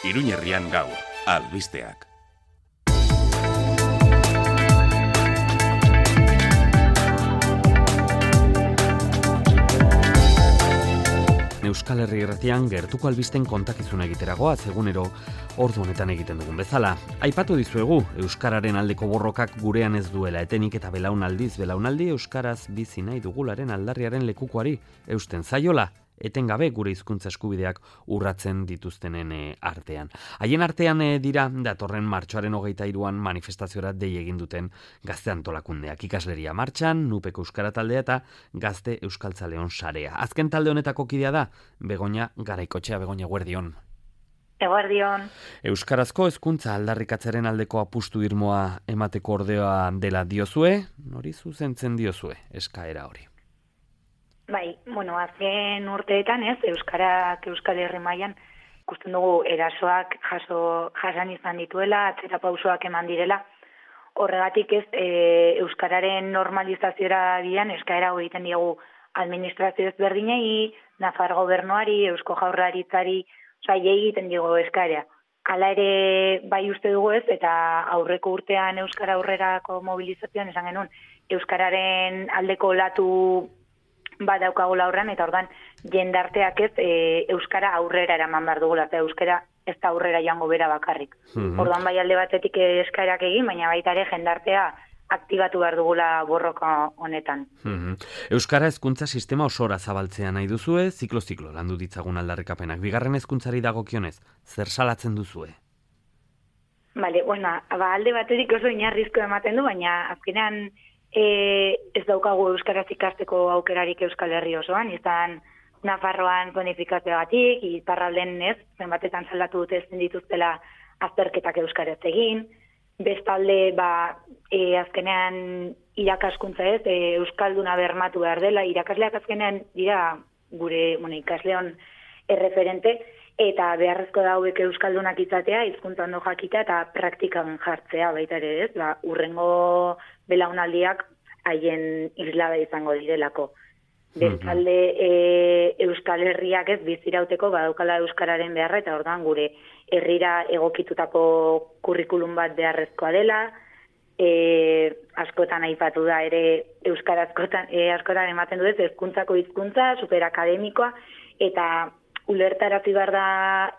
Iruñerrian gaur, albisteak. Euskal Herri Irratian gertuko albisten kontakizuna egiteragoa, egunero ordu honetan egiten dugun bezala. Aipatu dizuegu, euskararen aldeko borrokak gurean ez duela etenik eta belaunaldi euskaraz bizi nahi dugularen aldarriaren lekukoari eusten zaiola, etengabe gure hizkuntza eskubideak urratzen dituztenen artean. Haien artean dira datorren martxoaren 23an manifestaziora dei egin duten gazte antolakundeak, ikasleria martxan, Nupeko euskara taldea eta gazte euskaltzaleon sarea. Azken talde honetako kidea da Begoña Garaikotxea. Begoña, eguerdion. Eguerdion. Euskarazko hezkuntza aldarrikatzaren aldeko apustu irmoa emateko ordea dela diozue, nori zuzentzen diozue eskaera hori? Bai, azken urteetan Euskal Herri mailan ikusten dugu erasoak jasan izan dituela, atzera pausoak eman direla. Horregatik Euskararen normalizaziora bian eskaera egiten diegu administrazio ezberdinei, Nafar gobernuari, Eusko Jaurlaritzari, egiten diegu eskaera. Hala ere bai uste dugu eta aurreko urtean Euskara aurrerako mobilizazioan esan genuen Euskararen aldeko olatu badaukagula aurrean, eta ordan jendarteak Euskara aurrera eraman behar dugula, eta Euskara ez da aurrera joango bera bakarrik. Ordan bai alde batetik eskaerak egin, baina baita ere jendartea aktibatu behar dugula borroka honetan. Euskara hezkuntza sistema osora zabaltzea nahi duzue, ziklo landu ditzagun aldarrikapenak. Bigarren hezkuntzari dagokionez, zer salatzen duzue? Bale, alde batetik oso inarrizko ematen du, baina azkenean ez daukagu euskaraz ikasteko aukerarik Euskal Herri osoan, izan Nafarroan zonifikazioagatik, iparralden zenbatetan salatu dute ezin dituztela azterketak euskaraz egin, bestalde azkenean irakaskuntza euskalduna bermatu behar dela, irakasleak azkenean dira gure ikasleon erreferente, eta beharrezko da hauek euskaldunak izatea, hizkuntza ondo jakitea eta praktikan jartzea baita ere, urrengo belaunaldiak haien islada izango direlako. Bestalde Euskal Herriak bizirauteko badaukala euskararen beharra, eta orduan gure herrira egokitutako kurrikulum bat beharrezkoa dela, askotan aipatu da ere euskara askotan ematen du hezkuntzako hizkuntza superakademikoa, eta ulertarazi behar da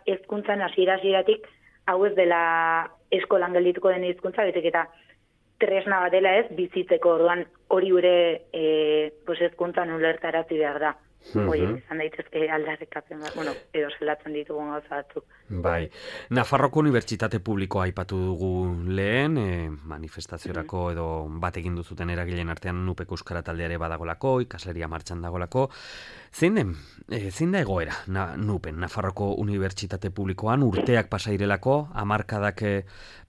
hezkuntzan hasieratik hau ez dela eskolan geldituko den hizkuntza, betek eta tresna bat dela bizitzeko, orduan hori gure hezkuntzan ulertarazi behar da. Izan daitezke aldarrikapen bat, edo zelatzen ditugun gauza batzuk. Bai, Nafarroko Unibertsitate Publikoa aipatu dugu lehen, manifestaziorako edo bat egin duzuten eragileen artean Nupeko euskara taldeare badagolako, ikasleria martxan dagolako. Zein da egoera Nupen, Nafarroko Unibertsitate Publikoan urteak pasairelako, hamarkadak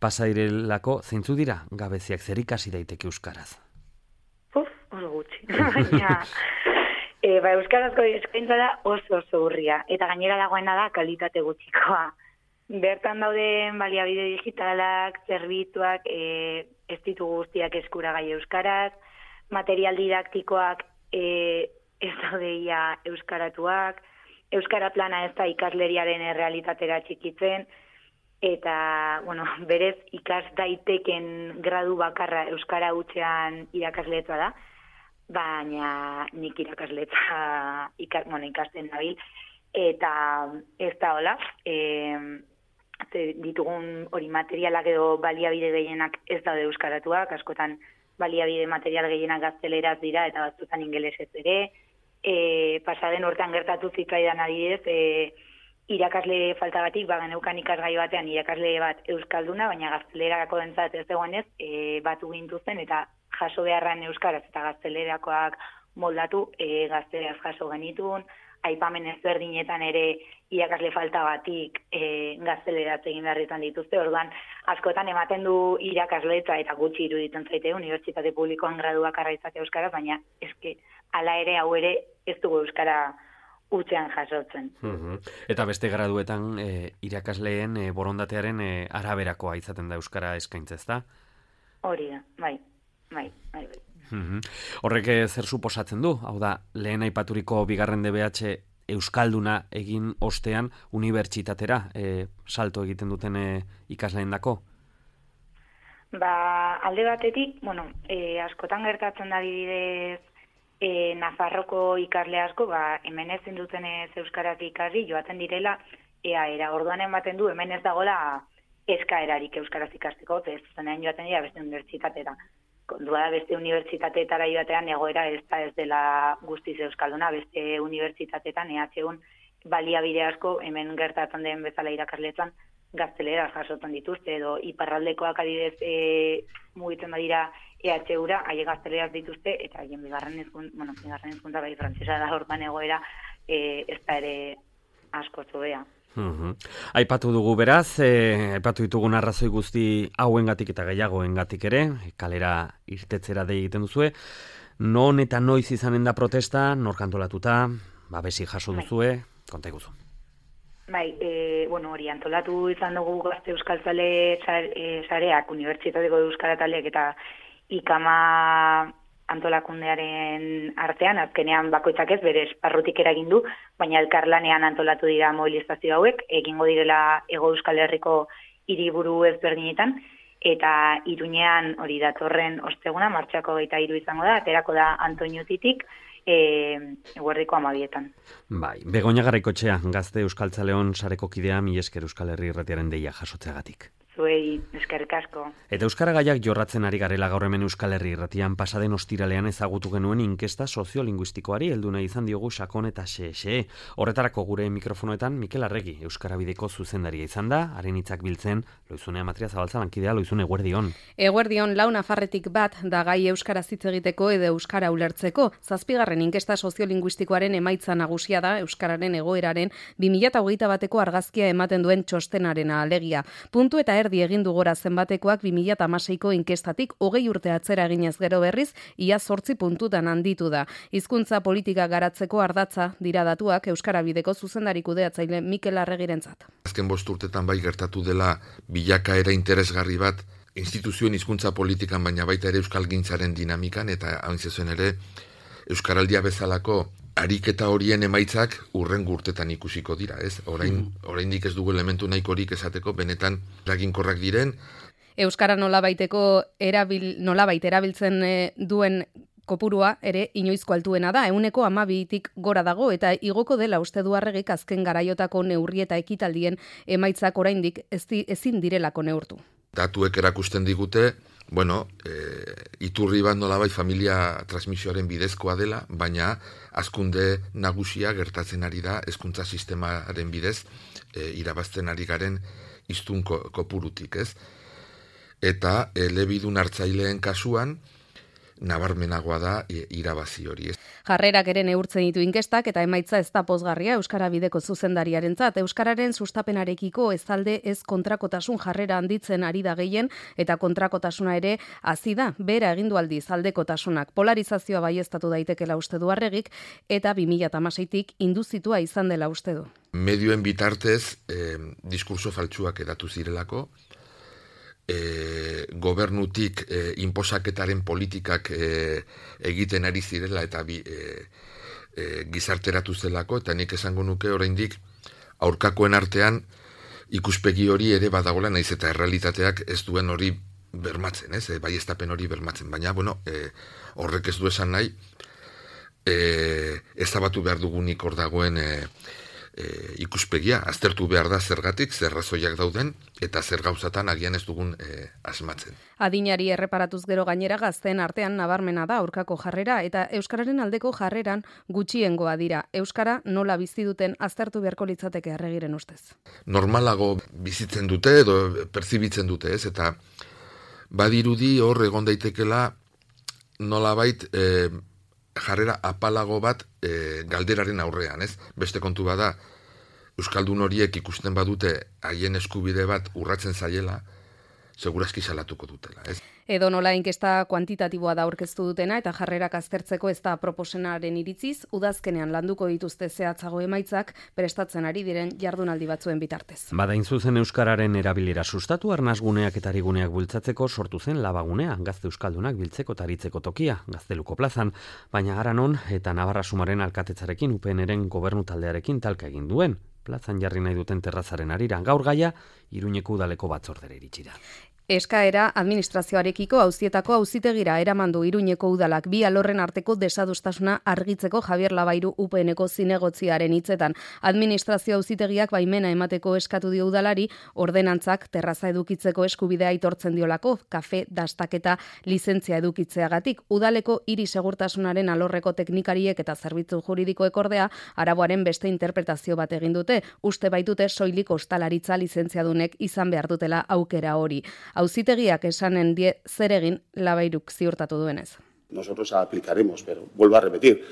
pasairelako, zeintzu dira gabeziak, zer ikasi daiteke euskaraz? Oso gutxi, baina euskarazko eskaintza da oso urria, eta gainera dagoena da kalitate gutxikoa. Bertan dauden baliabide digitalak, zerbitzuak, ez ditu guztiak eskuragai euskaraz, material didaktikoak ez daudeia euskaratuak, euskara plana ez da ikasleriaren errealitatera txikitzen, eta, berez ikas daiteken gradu bakarra euskara hutsean irakasletza da, baina nik irakasletza ikasten nabil, eta ez da hola, ditugun hori materialak edo baliabide gehienak ez daude euskaratuak, askotan baliabide material gehienak gazteleraz dira, eta batzutan ingelesez ere, pasaden hortan gertatu zitzaidan adibidez, irakasle faltagatik, geneukan ikasgai batean irakasle bat euskalduna, baina gaztelerako dentzat ez dagoenez, batu gintuzten, eta jaso beharran euskaraz eta gaztelerakoak moldatu, gazteleraz jaso genitun, aipamen ezberdinetan ere irakasle falta batik gazteleraz egin beharretan dituzte, orduan askotan ematen du irakasletza eta gutxi iruditzen zaite Unibertsitate Publikoan gradu bakarra izatea euskaraz, baina eske hala ere hau ere ez dugu euskara hutsean jasotzen. Eta beste graduetan irakasleen borondatearen araberakoa izaten da euskara eskaintza, ezta? Hori da, bai. Horrek zer suposatzen du? Hau da, lehen aipaturiko bigarren DBH euskalduna egin ostean unibertsitatera salto egiten duten ikasleendako? Alde batetik, askotan gertatzen da adibidez Nafarroko ikasle asko, hemen ezin duten euskaraz ikasi joaten direla, era orduan ematen du hemen ez dagoela eskaerarik euskaraz ikasteko, ez zenean joaten dira beste unibertsitatera. Kontua da beste unibertsitateetara joatean egoera ez dela guztiz euskalduna, beste unibertsitateetan EHUn baliabide asko hemen gertatzen den bezala irakasleetan gaztelera jasotzen dituzte, edo iparraldekoak adibidez mugitzen badira EHUra, haie gazteleraz dituzte, eta haien bigarren hizkuntza bai frantsesa da orduan egoera ez da ere asko zobea. Aipatu dugu beraz, aipatu ditugun arrazoi guzti hauengatik eta gehiagoengatik ere, kalera irtetzera dei egiten duzue. Non eta noiz izanen da protesta, nor kantolatuta, babesi jaso duzue, konta iguzu. Hori antolatu izan dugu Gazte Euskaltzale sareak, Unibertsitateko Euskara Taldeak eta IKAMA antolakundearen artean, azkenean bakoitzak ez bere esparrutik eragin du, baina elkarlanean antolatu dira mobilizazio hauek, egingo direla Hego Euskal Herriko hiriburu ezberdinetan, eta Iruñean hori datorren osteguna, martxako 23 izango da, aterako da Antoñutitik, eguerdiko 12etan. Begoña Garaikoetxea, Gazte Euskaltzaleon sareko kidea, mila esker Euskal Herri Irratiaren deia jasotzeagatik. Zuei, eskerrik asko. Eta euskaragaiak jorratzen ari garela gaur hemen Euskal Herri Irratian pasaden ostiralean ezagutu genuen inkesta soziolinguistikoari heldu nahi izan diogu sakon eta xe. Horretarako gure mikrofonoetan Mikel Arregi, Euskarabideko zuzendaria izan da, haren hitzak biltzen, Loizune Amatria Zabaltza lankidea, Loizune, eguerdion. Eguerdion, lau nafarretik bat da gai euskaraz hitz egiteko edo euskara ulertzeko. 7. inkesta soziolinguistikoaren emaitza nagusia da euskararen egoeraren 2021 bateko argazkia ematen duen txostenarena alegia. Puntu eta erdi egin du gora zenbatekoak 2016ko inkestatik 20 urte atzera eginez gero berriz, ia 8 puntutan handitu da. Hizkuntza politika garatzeko ardatza dira datuak Euskarabideko zuzendari kudeatzaile Mikel Arregirentzat. Azken 5 urtetan bai gertatu dela bilakaera interesgarri bat instituzioen hizkuntza politikan, baina baita ere euskalgintzaren dinamikan, eta hain zezen ere euskaraldia bezalako ariketa horien emaitzak urrengo urtetan ikusiko dira, ez? Oraindik ez dugu elementu nahikorik esateko benetan eraginkorrak diren. Euskara nolabait erabiltzen duen kopurua ere inoizko altuena da, 12%tik gora dago, eta igoko dela uste du Arregik azken garaiotako neurri eta ekitaldien emaitzak oraindik ezin direlako neurtu. Datuek erakusten digute, iturri bat nolabait familia transmisioaren bidezkoa dela, baina hazkunde nagusia gertatzen ari da hezkuntza sistemaren bidez irabazten ari garen hiztun kopurutik, ez? Eta elebidun hartzaileen kasuan nabarmenagoa da irabazi hori, ez? Jarrerak ere neurtzen ditu inkestak eta emaitza ez da pozgarria Euskarabideko zuzendariarentzat. Euskararen sustapenarekiko ez alde ez kontrakotasun jarrera handitzen ari da gehien, eta kontrakotasuna ere hazi da, bera egindu aldiz aldekotasunak. Polarizazioa baieztatu daitekela uste du Arregik, eta 2016tik induzitua izan dela uste du. Medioen bitartez diskurso faltsuak edatu zirelako, gobernutik inposaketaren politikak egiten ari zirela eta gizarteratu zelako, eta nik esango nuke oraindik aurkakoen artean ikuspegi hori ere badagoela, naiz eta errealitateak ez duen hori bermatzen, ez? Baieztapen hori bermatzen, baina horrek ez du esan nahi ezabatu behar dugunik hor dagoen ikuspegia, aztertu behar da zergatik, zer razoiak dauden, eta zer gauzatan agian ez dugun asmatzen. Adinari erreparatuz gero gainera gazteen artean nabarmena da aurkako jarrera, eta euskararen aldeko jarreran gutxiengoa dira. Euskara nola bizi duten aztertu beharko litzateke Arregiren ustez. Normalago bizitzen dute edo perzibitzen dute, ez? Eta badirudi hor egon daitekela nolabait jarrera apalago bat galderaren aurrean, ez? Beste kontu bada, euskaldun horiek ikusten badute haien eskubide bat urratzen zaiela, segurazki salatuko dutela, ez? Edo nola inkesta kuantitatiboa da aurkeztu dutena eta jarrerak aztertzeko ez da proposenaren iritziz, udazkenean landuko dituzte zehatzago emaitzak prestatzen ari diren jardunaldi batzuen bitartez. Badain zuzen euskararen erabilera sustatu, arnasguneak eta ariguneak bultzatzeko sortu zen labagunea, gazte euskaldunak biltzeko eta aritzeko tokia, Gazteluko plazan, baina Aranon eta Navarra Sumaren alkatetzarekin UPNren gobernu taldearekin talka egin duen. Plazan jarri nahi duten terrazaren arira, gaur gaia Iruñeko udaleko batzordera iritsi da. Eskaera administrazioarekiko auzietako auzitegira eraman du Iruñeko udalak bi alorren arteko desadostasuna argitzeko Javier Labairu UPNeko zinegotziaren hitzetan. Administrazio auzitegiak baimena emateko eskatu dio udalari, ordenantzak terraza edukitzeko eskubidea aitortzen diolako, kafe dastaketa lizentzia edukitzeagatik. Udaleko hiri segurtasunaren alorreko teknikariek eta zerbitzu juridikoek ordea araboaren beste interpretazio bat egin dute, uste baitute soilik ostalaritza lizentziadunek izan behar dutela aukera hori. Auzitegiak esanen die zer egin Labairuk ziurtatu duenez. Nosotros aplicaremos, pero vuelvo a repetir,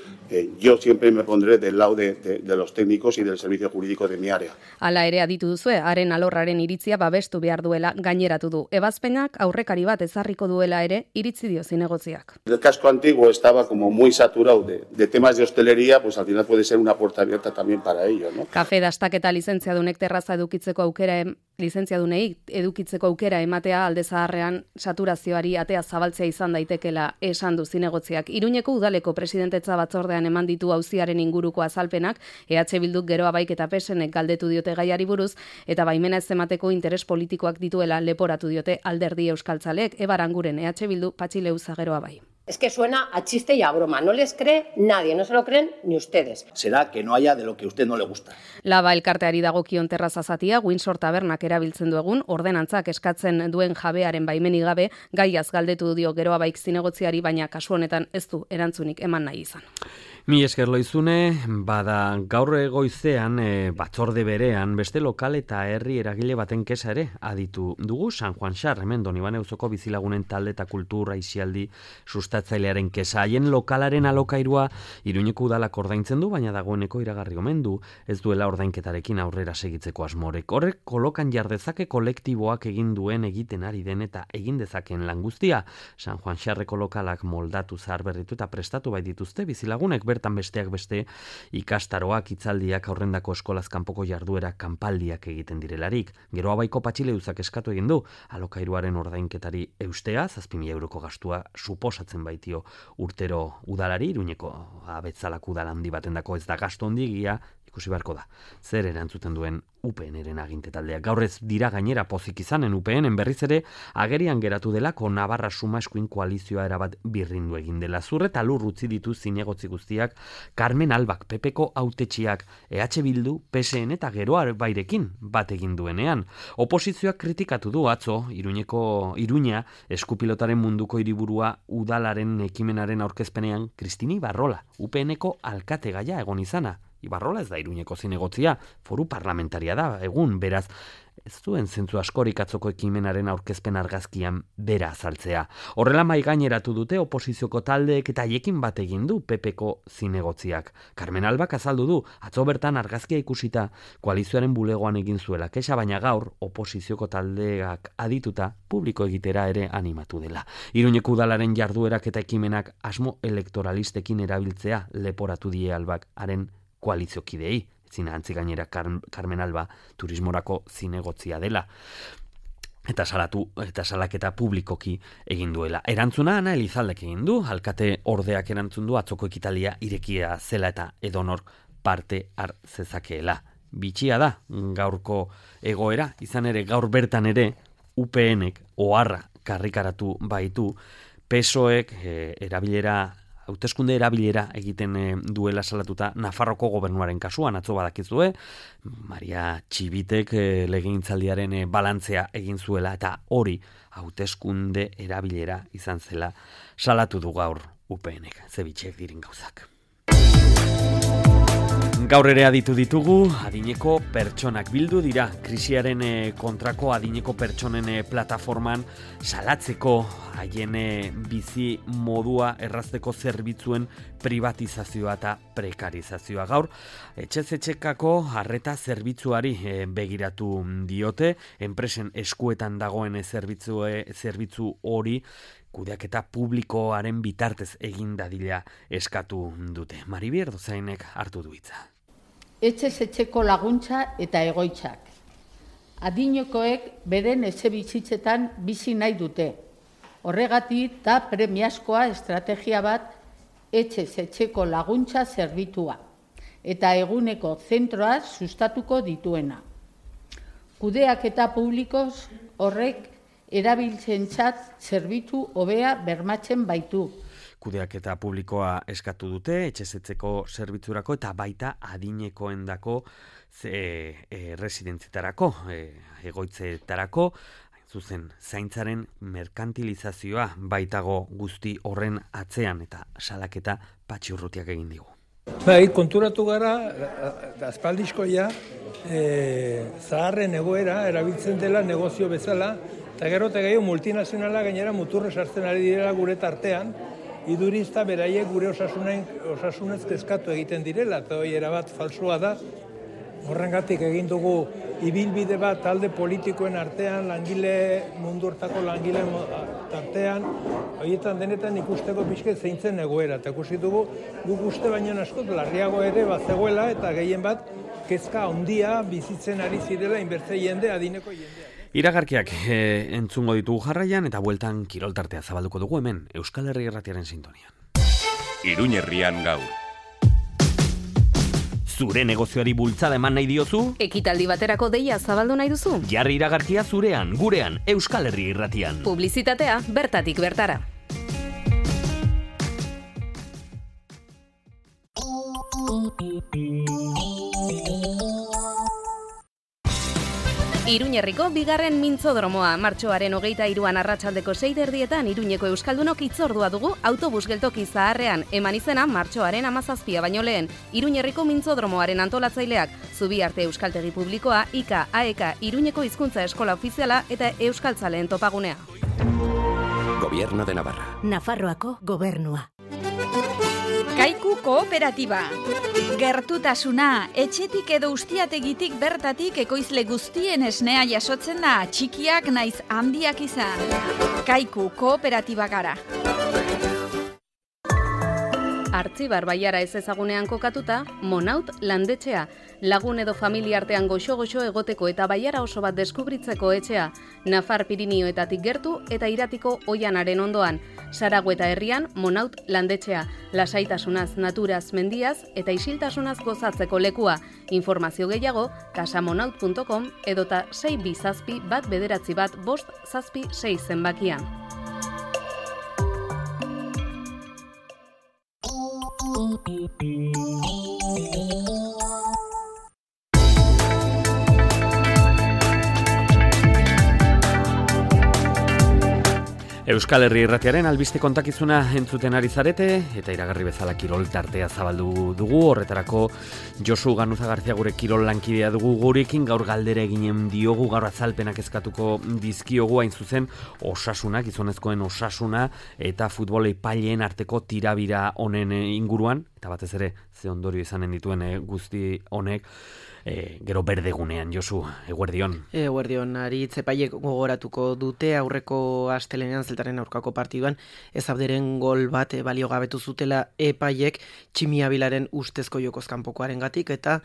yo siempre me pondré del lado de los técnicos y del servicio jurídico de mi área. Hala ere aditu duzue, haren alorraren iritzia babestu behar duela gaineratu du. Ebazpenak aurrekari bat ezarriko duela ere iritzi dio zinegotziak. El casco antiguo estaba como muy saturado de temas de hostelería, pues al final puede ser una puerta abierta también para ello, ¿no? Kafe dastaketa lizentziadunek terraza edukitzeko aukera lizentziadunei edukitzeko aukera ematea alde zaharrean saturazioari atea zabaltzea izan daitekela esan du zinegotziak. Iruñeko udaleko presidentetza batzordean eman ditu auziaren inguruko azalpenak, EH Bilduk Geroa Baik eta PSnek galdetu diote gaiari buruz, eta baimena ez emateko interes politikoak dituela leporatu diote alderdi euskaltzaleek. Ebaranguren EH Bildu Patxileuza Geroa Bai. Es que suena a chiste y a broma. No les cree nadie, no se lo creen ni ustedes. Será que no haya de lo que a usted no le gusta. Laba elkarteari dagokion terraza zatia, Windsor Tabernak erabiltzen du egun, ordenantzak eskatzen duen jabearen baimenik gabe, gaiaz galdetu dio Geroa Baik zinegotziari, baina kasu honetan ez du erantzunik eman nahi izan. Mi esker Loizune, bada gaur goizean batzorde berean beste lokal eta herri eragile baten kesa ere aditu dugu San Juan Xar, hemen Donibane auzoko bizilagunen talde eta kultura aisialdi sustatzailearen kesa. Haien lokalaren alokairua Iruñeko udalak ordaintzen du, baina dagoeneko iragarri omen du ez duela ordainketarekin aurrera segitzeko asmorek. Horrek kolokan jardezake kolektiboak egin duen egiten ari den eta egin dezakeen lan guztia. San Juan Xarreko lokalak moldatu zaharberritu eta prestatu bai dituzte bizilagunek, bertan besteak beste ikastaroak, hitzaldiak, aurrendako eskolaz kanpoko jarduera kanpaldiak egiten direlarik. Geroa Baiko Patxileuzak eskatu egin du alokairuaren ordainketari eustea, 7.000 euroko gastua suposatzen baitio urtero udalari, Iruñeko abetzalak udal handi batendako ez da gastu handigia, ikusi beharko da. Zer erantzuten duen UPNren aginte taldeak. Gaur ez dira gainera pozik izanen UPNen berriz ere agerian geratu delako Navarra Suma eskuin koalizioa erabat birrindu egin dela. Zur eta lur utzi ditu zinegotzi guztiak Carmen Albak PPko hautetsiak, EH Bildu, PSN eta Geroa Bairekin bat egin duenean. Oposizioak kritikatu du atzo Iruña eskupilotaren munduko hiriburua udalaren ekimenaren aurkezpenean Kristini Ibarrola, UPNeko alkate gaia egon izana. Ibarrola ez da Iruñeko zinegotzia, foru parlamentaria da, egun, beraz, ez duen zentzu askorik atzoko ekimenaren aurkezpen argazkian bera azaltzea. Horrela mai gaineratu dute oposizioko taldeek eta haiekin bat egin du PPko zinegotziak. Carmen Albak azaldu du, atzo bertan argazkia ikusita koalizioaren bulegoan egin zuela kexa, baina gaur oposizioko taldeak adituta publiko egitera ere animatu dela. Iruñeko udalaren jarduerak eta ekimenak asmo elektoralistekin erabiltzea leporatu die Albak haren koaliziokidei, zina antzi gainera Carmen Alba turismorako zinegotzia dela. Eta salaketa publikoki egin duela. Erantzuna Ana Elizaldek egin du, alkate ordeak erantzun du atzoko ekitaldia irekia zela eta edonor parte har zezakeela. Bitxia da gaurko egoera, izan ere gaur bertan ere UPNek oharra karrikaratu baitu, PSOEk hauteskunde erabilera egiten duela salatuta Nafarroko gobernuaren kasuan, atzo badakizue, Maria Txibitek legegintzaldiaren balantzea egin zuela eta hori hauteskunde erabilera izan zela salatu du gaur UPNek, zebitxek dirin gauzak. Gaur ere aditu ditugu, adineko pertsonak bildu dira, krisiaren kontrako adineko pertsonen plataforman salatzeko haien bizi modua errazteko zerbitzuen privatizazioa eta prekarizazioa. Gaur, etxez etxekako arreta zerbitzuari begiratu diote, enpresen eskuetan dagoen zerbitzu hori kudeaketa publikoaren bitartez egin dadila eskatu dute. Maribier Dozainek hartu du hitza. Etxez etxeko laguntza eta egoitzak. Adinekoek beren etxe bizitzetan bizi nahi dute. Horregatik da premiazkoa estrategia bat etxez etxeko laguntza zerbitua eta eguneko zentroa sustatuko dituena. Kudeaketa publikoz horrek erabiltzentzat zerbitzu hobea bermatzen baitu. Kudeaketa publikoa eskatu dute, etxezetzeko zerbitzurako eta baita adinekoendako residentzitarako, egoitzetarako, zuzen zaintzaren merkantilizazioa baitago guzti horren atzean eta salaketa Patxi Urrutiak egin digu. Bai, konturatu gara, aspaldizkoia, zaharren egoera erabiltzen dela negozio bezala, eta gero eta gehiago multinazionala gainera muturre sartzen ari direla gure tartean, idurizta beraiek gure osasunez kezkatu egiten direla, eta hori erabat falsua da. Horrengatik egin dugu ibilbide bat talde politikoen artean, mundu hortako langile artean, horietan denetan ikusteko pixke zeintzen egoera. Eta ikusi dugu, guk uste baino askot larriago ere bat zegoela, eta gehien bat kezka handia bizitzen ari zirela inbertze jende, adineko jendea. Iragarkiak entzungo ditugu jarraian eta bueltan kiroltartea zabalduko dugu hemen Euskal Herri Irratiaren sintonian. Iruña herrian gaur. Zure negozioari bultzada eman nahi diozu? Ekitaldi baterako deia zabaldu nahi duzu? Jarri iragarkia zurean, gurean, Euskal Herri Irratian. Publizitatea bertatik bertara. Iruñerriko bigarren mintzodromoa, martxoaren 23an arratsaldeko 6:30 Iruñeko euskaldunok hitzordua dugu autobus geltoki zaharrean, eman izena martxoaren 17 baino lehen. Iruñerriko mintzodromoaren antolatzaileak, Zubiarte Euskaltegi Publikoa, IKA, AEK, Iruñeko hizkuntza eskola ofiziala eta euskaltzaleen topagunea. Gobierno de Navarra. Nafarroako gobernua. Kaiku kooperatiba. Gertutasuna, etxetik edo ustiategitik bertatik ekoizle guztien esnea jasotzen da, txikiak naiz handiak izan. Kaiku kooperatiba gara. Artzibar Baiara ez ezagunean kokatuta, Monaut landetxea. Lagun edo familia artean goxo-goxo egoteko eta Baiara oso bat deskubritzeko etxea. Nafar Pirinioetatik gertu eta Iratiko Oianaren ondoan. Saragüeta herrian Monaut landetxea. Lasaitasunaz, naturaz, mendiaz eta isiltasunaz gozatzeko lekua. Informazio gehiago, casamonaut.com edota 627-191-576 zenbakian. Euskal Herri Irratiaren albiste kontakizuna entzuten ari zarete eta iragarri bezala kirol tartea zabaldu dugu. Horretarako Josu Ganuza Garzia gure kirol lankidea dugu gurekin, gaur galdera eginen diogu, gaur azalpenak eskatuko dizkiogu, hain zuzen osasuna, gizonezkoen osasuna eta futbol epaileen arteko tirabira honen inguruan, eta batez ere ze ondorio izanen dituen guzti honek. Gero berdegunean, Josu, eguerdion. Eguerdion, Aritz epaiek gogoratuko dute aurreko astelenean Zeltaren aurkako partiduan ez abderen gol bat balio gabetu zutela epaiek Tximiabilaren ustezko jokozkanpokoaren gatik eta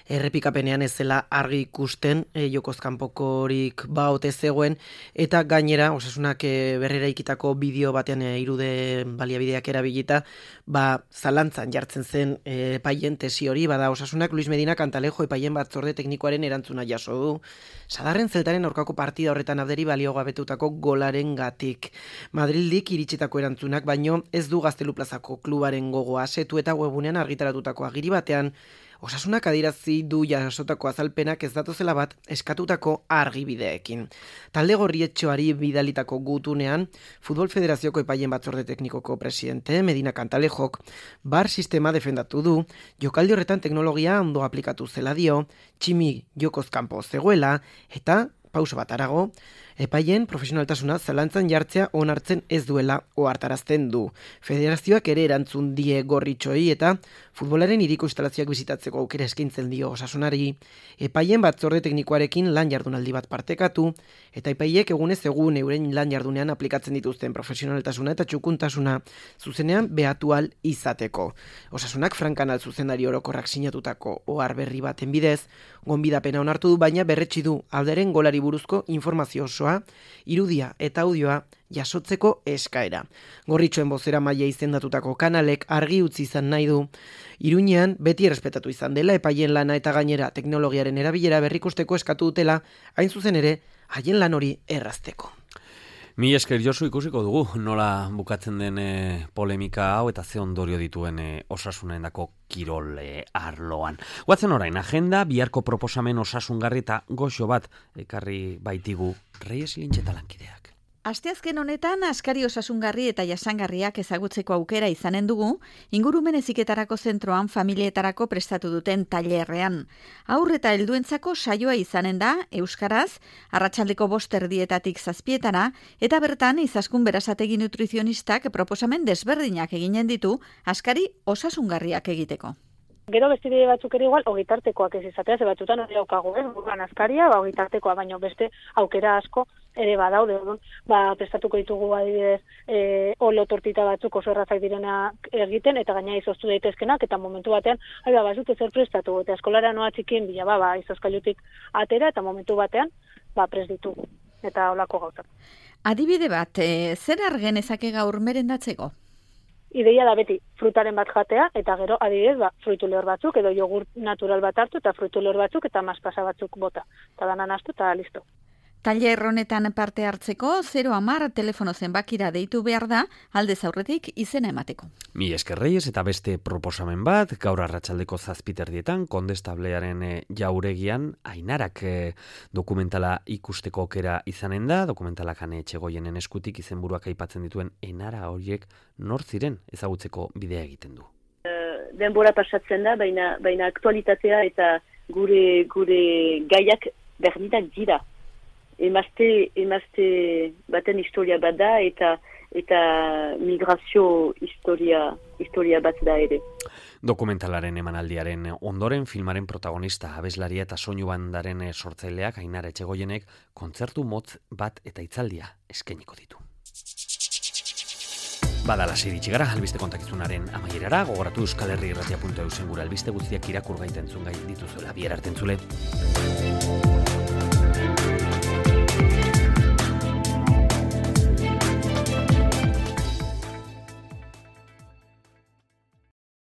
errepikapenean ez zela argi ikusten jokozkanpokorik baote zegoen eta gainera osasunak berrera ikitako bideo batean irude baliabideak erabilita zalantzan jartzen zen epaien tesi hori, bada osasunak Luis Medina Cantalejo epaien batzorde teknikoaren erantzuna jaso du. Sadarren Zeltaren aurkako partida horretan abderi balio gabetutako golaren gatik. Madrildik iritsitako erantzunak, baino ez du Gaztelu plazako klubaren gogoa. Setu eta webunean argitaratutako agiri batean Osasunak adirazi du jasotako azalpenak ez datozela bat eskatutako argibideekin. Talde gorrietxoari bidalitako gutunean, Futbol Federazioko epaien batzorde teknikoko presidente Medina Cantalejok bar sistema defendatu du, jokaldi horretan teknologia ondo aplikatu zela dio, Tximi jokoz kanpo zegoela, eta pauso bat arago, epaien profesionaltasuna zalantzan jartzea onartzen ez duela ohartarazten du. Federazioak ere erantzun die gorritxoi eta futbolaren hiriko instalazioak bizitatzeko aukera eskaintzen dio Osasunari, epaien batzorde teknikoarekin lan jardunaldi bat partekatu, eta epaiek egunez egun euren lan jardunean aplikatzen dituzten profesionaltasuna eta txukuntasuna zuzenean behatu ahal izateko. Osasunak Frankanal zuzendari orokorrak sinatutako ohar berri baten bidez, gonbidapena onartu du, baina berretsi du alderen golari buruzko informazio osoa, irudia eta audioa jasotzeko eskaera. Gorritxoen bozera maila izendatutako kanalek argi utzi izan nahi du, Iruñean beti errespetatu izan dela epaien lana eta gainera teknologiaren erabilera berrikusteko eskatu dutela, hain zuzen ere, haien lan hori errazteko. Mi esker Josu, ikusiko dugu nola bukatzen den polemika hau eta ze ondorio dituen Osasunendako kirol arloan. Guatzen orain, agenda, biharko proposamen osasungarri eta goxo bat ekarri baitigu Reyes Lintxeta lankideak. Asteazken honetan askari osasungarri eta jasangarriak ezagutzeko aukera izanen dugu, ingurumen heziketarako zentroan familietarako prestatu duten tailerrean. Haur eta helduentzako saioa izanen da euskaraz, arratsaldeko 5:00 7:00 eta bertan Izaskun Berasategi nutrizionistak proposamen desberdinak eginen ditu askari osasungarriak egiteko. Gero beste bide batzuk ere igual, ogitartekoak ez izatea, ze batzutan hori daukagu, buruan askaria, ogitartekoa, baino beste aukera asko ere badaude, prestatuko ditugu adibidez, olo tortita batzuk oso errazak direna egiten, eta gaina izoztu daitezkenak, eta momentu batean, bazute zer prestatu, eta eskolara noa txikien bila, izozkailutik atera, eta momentu batean, prest ditugu, eta olako gauzak. Adibide bat, zer argenezake gaur merendatzeko? Ideia da beti frutaren bat jatea, eta gero adibidez fruitu lehor batzuk, edo jogurt natural bat hartu, eta fruitu lehor batzuk, eta maspasa batzuk bota. Eta danan astu, eta listo. Tailer honetan parte hartzeko 010 telefono zenbakira deitu behar da, aldez aurretik izena emateko. Mi esker Reyes eta beste proposamen bat, gaur arratsaldeko 7:00 Kondestablearen jauregian Ainarak dokumentala ikusteko aukera izanen da, dokumentalak Ane Etxegoienen eskutik izenburuak aipatzen dituen enara horiek nor ziren ezagutzeko bidea egiten du. Denbora pasatzen da, baina aktualitatea eta gure gaiak berdinak dira. Emazte baten historia bat da eta migrazio historia bat da ere. Dokumentalaren emanaldiaren ondoren filmaren protagonista abeslaria eta soinu bandaren sortzaileak Ainara Etxegoienek kontzertu motz bat eta hitzaldia eskainiko ditu. Badala iritsi gara, albiste kontakizunaren amaierara, gogoratu euskalherriirratia.eu gure albiste guztiak irakur gaiten zungai dituzuela. Bihar arte entzule.